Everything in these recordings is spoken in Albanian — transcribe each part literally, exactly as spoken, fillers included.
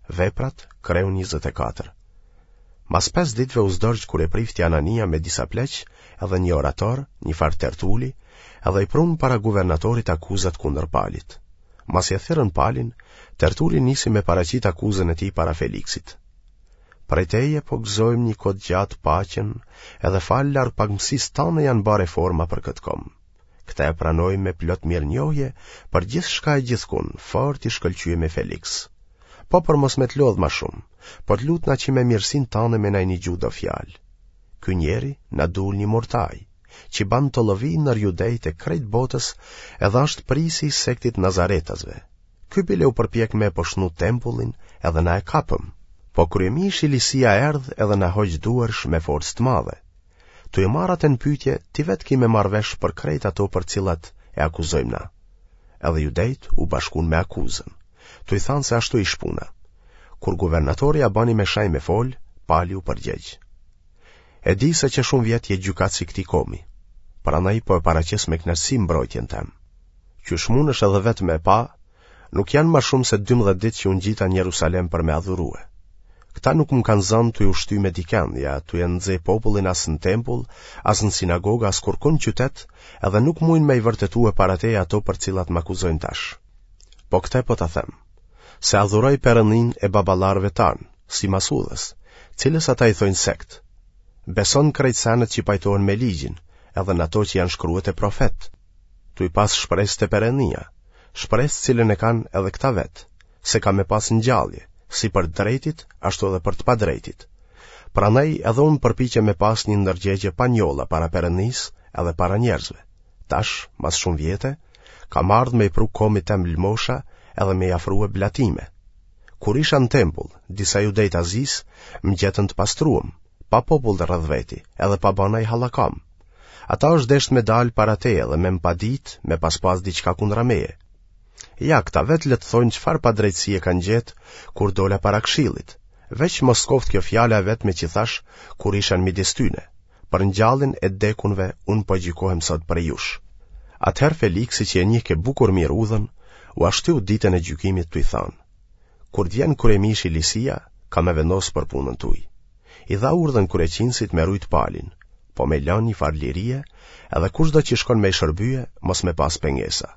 Veprat, kreu njëzet e katër. Mas pesë ditëve u zdorgj kryeprifti Anania me disa pleq edhe një orator, një farë Tertuli, edhe i prunë para guvernatorit akuzat kundër Palit. Masi e thirrën Palin, Tertuli nisi me paraqit akuzën e tij para Feliksit. Prej teje po gëzojmë një kohë të gjatë paqen, edhe falë largpamësisë tane janë ba reforma për këtë komb. Këtë e pranojmë me plot mirënjohje për gjithçka e gjithkun, fort i shkëlqyemi Feliks. Po për mos me të lodhë ma shumë, po të lutna që me mirësinë tane me na i nigju do fjalë. Ky njeri na dul një murtaj, që ban tollovi nër judejt e krejt botës edhe është prisi i sektit nazaretasve. Ky bile u përpjek me e poshnu tempullin edhe na e kapëm. Po kryemishi Lisia erdh edhe na hoq duarsh me forcë të madhe. Tu e marrë atë në pyetje, ti vetë ki me marrë vesh për krejt ato për cilat e akuzojmë na. Edhe judejt u bashkun me akuzën, tu i thanë se ashtu ish puna. Kur guvernatori ia bani me shaj me fol, Pali u përgjegj. E di se që shumë vjet je gjykatës i këtij komi, prandaj po e paraqes me kënaqësi mbrojtjen tem. Qysh mundesh edhe vetë me e pa, nuk janë ma shumë se dymbëdhjetë ditë që u ngjita në Jerusalem për me adhurue. Këta nuk më kanë zënë tuj u shty me dikend, ja tuj e nxe popullin as në tempull, as në sinagogë, as kurrkund në qytet, edhe nuk mujnë me i vërtetue para teje ato për cilat më akuzojnë tash. Po këtë po ta them, se adhuroj Perëndinë e baballarëve tanë, simas udhës, cilës ata i thojnë sekt. Beson krejt senet që pajtohen me ligjin, edhe në ato që janë shkrue te profet, tuj pas shpresë te Perëndia, shpresë cilën e kanë edhe këta vetë, se ka me pas ngjallje, si për të drejtit, ashtu edhe për të padrejtit. Prandaj edhe unë përpiqem me pas një ndërgjegje pa njolla para Perëndisë edhe para njerëzve. Tash, mas shumë vjete, kam ardhë me i pru komit tem lëmosha edhe me i afrue blatime. Kur isha në tempull, disa judej të Azisë më gjetën të pastruem, pa popull rreth veti, edhe pa ba naj hallakam. Ata është desht me dalë para teje dhe me më padit, me pas pas diçka kundra meje. Ja, këta vetë le të thojnë çfarë padrejtësie kanë gjetë kur dola para këshillit. Veç mos koftë kjo fjala e vetme që thash kur isha në midis tyne. Për ngjalljen e dekunve unë po gjykohem sot prej jush. Atëherë Feliksi që e njihke bukur mirë udhën, ua shtyu ditën e gjykimit tuj thanë: Kur të vjen kryemishi Lisia, ka me vendos për punën tuj. I dha urdhën kryeqinësit me rujt Palin, po me lanë një farë lirie, edhe kushdo që shkon me i shërbye, mos me pas pengesa.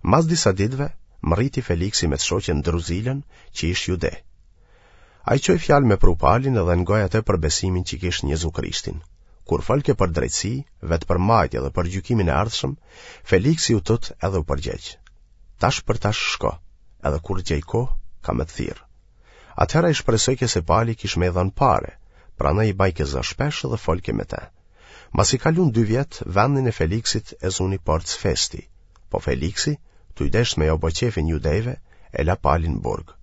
Mas disa ditëve, mrriti Feliksi me të shoqen Druzilën, që ish jude. Ai çoi fjalë me pru Palin edhe ngoi atë për besimin që kish në Jezu Krishtin. Kur folke për drejtësi, vetëpërmbajtje dhe për gjykimin e ardhshëm, Feliksi u tut edhe u përgjegj. Tash për tash shko, edhe kur gjej kohë, ka me të thirrë. Atëherë ai shpresojke se Pali kish me i dhënë pare, prandaj i bajke zë shpesh dhe folke me te. Masi kalun dy vjet, vendin e Feliksit e zuni Porc Festi, po Feliksi, tuj desht me jau bo qefin judejve, e la Palin në burg.